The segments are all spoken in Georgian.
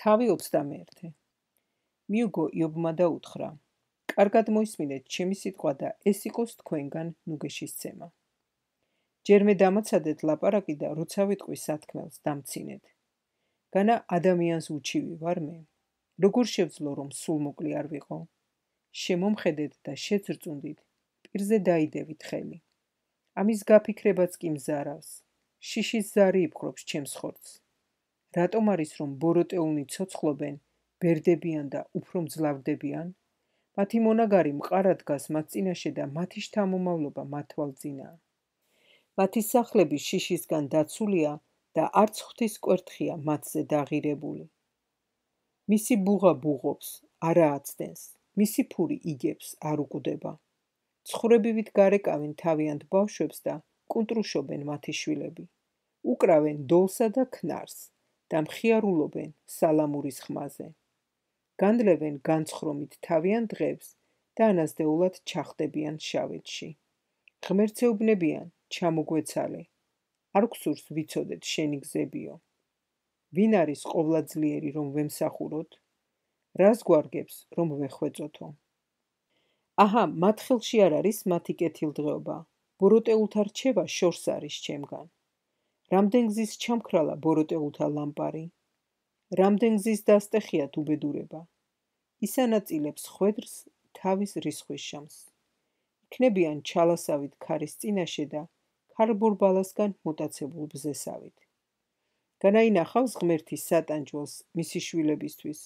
თავი 21. მიუგო იობმა და უთხრა: კარგად მოისმინეთ ჩემი სიტყვა და ეს იყოს თქვენგან ნუგეშისცემა. ჯერმე დამაცადეთ ლაპარაკი და როცა ვიტყვი სათქმელს დამცინეთ. განა ადამიანს უჩივი ვარ მე, როგორ შევძლო რომ სულ მოკლი არ ვიყო? შემომხედეთ და შეძრწუნდით, პირზე დაიდევით ხელი. ამის გაფიქრებაც კი მზარავს, შიშის ზარი იფხრობს ჩემს ხორცს. რატომ არის რომ ბოროტეულნი ცოცხლობენ, ბერდებიან და უფრო მძლავრდებიან? მათი მონაგარი მყარა დგას მათ წინაშე და მათი შთამომავლობა მათ თვალწინაა. მათი სახლები შიშისგან დაცულია და არც ღვთის კვერთხია მათზე დაღირებული. მისი ბუღა ბუღობს, არა აცდენს, მისი ფური იგებს, არ უკვდება. ცხრებივით გარეკავენ თავიანთ ბავშვებს და კუნტრუშობენ მათი შვილები. უკრავენ დოლსა და ქნარს და მხიარულობენ სალამურის ხმაზე. განდლევენ განცხრომით თავიანთ დღებს და ანაზდეულად ჩახდებიან შავეთში. ღმერთეუბნებიან, ჩამოგვეცალე, არ გვსურს ვიცოდეთ შენი გზებიო. ვინ არის ყოვლადძლიერი რომ ვემსახუროთ? რას გვარგებს რომ ვეხვეწოთო? აჰა, მათ ხელში არ არის მათი კეთილდღეობა, ბოროტეულთა რჩევა შორს არის ჩემგან. რამდენ გზის ჩამქრალა ბოროტეულთა ლამპარი? რამდენ გზის დასტეხიათ უბედურება? ის ანაწილებს ხვედრს თავის რისხვის შამს. იქნებიან ჩალასავით ქარის წინაშე და ქარბორბალასგან მოტაცებულ ბზესავით. განაინახავს ღმერთი სატანჯველს მისი შვილებისთვის,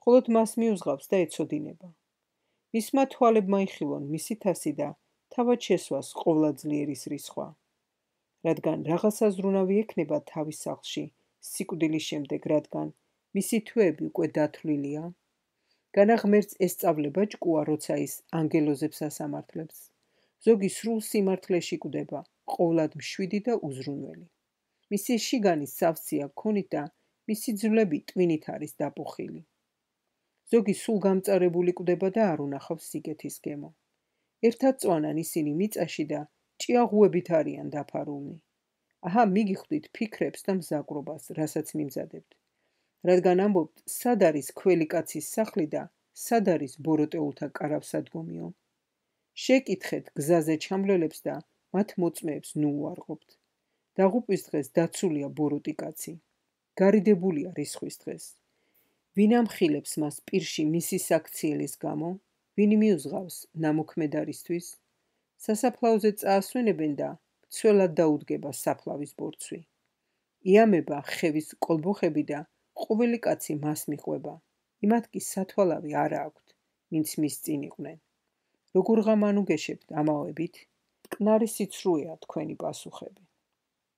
მხოლოდ მას მიუძღავს და ეცოდინება. მისმა თვალებმა იხილონ მისი თასი და თავად შესვას ყოვლადძლიერის რისხვა. რადგან რაღაცა ზრუნავი ექნება თავის სახლში სიკვდილის შემდეგ, რადგან მისი თვეები უკვე დათვლილია. განა ღმერთს ესწავლება ჭკუა, როცა ის ანგელოზებს ასამართლებს. ზოგი სრულ სიმართლეში კვდება, ყოვლად მშვიდი და უზრუნველი. მისი შიგანი სავსეა ქონით და მისი ძვლები ტვინით არის დაპუხილი. ზოგი სულ გამწარებული კვდება და არ უნახავს სიგეთის გემო. ერთად წვანან ისინი მიწაში და ჭიაღუებით არიან დაფარულნი. აჰა, მიგიხვდით ფიქრებს და მზაკრობას, რასაც მიმზადებთ. რადგან ამბობთ, სად არის ქველი კაცის სახლი და სად არის ბოროტეულთა კარავსადგომიო? შეკითხეთ გზაზე ჩამვლელებს და მათ მოწმეებს ნუ უარყოფთ. დაღუპვის დღეს დაცულია ბოროტი კაცი. გარიდებულია რისხვის დღეს. ვინ ამხილებს მას პირში მისი საქციელის გამო? ვინ მიუძღავს ნამოქმედარისთვის? სასაფლაოზე წაასვენებენ და მცველად დაუდგება საფლავის ბორცვი. იამება ხევის კოლბოხები და ყოველი კაცი მას მიყვება. იმათ კი სათვალავი არა აქვთ, ვინც მის წინ იყვნენ. როგორ ღამანუგეშებთ ამავებით? მტკნარი სიცრუეა თქვენი პასუხები.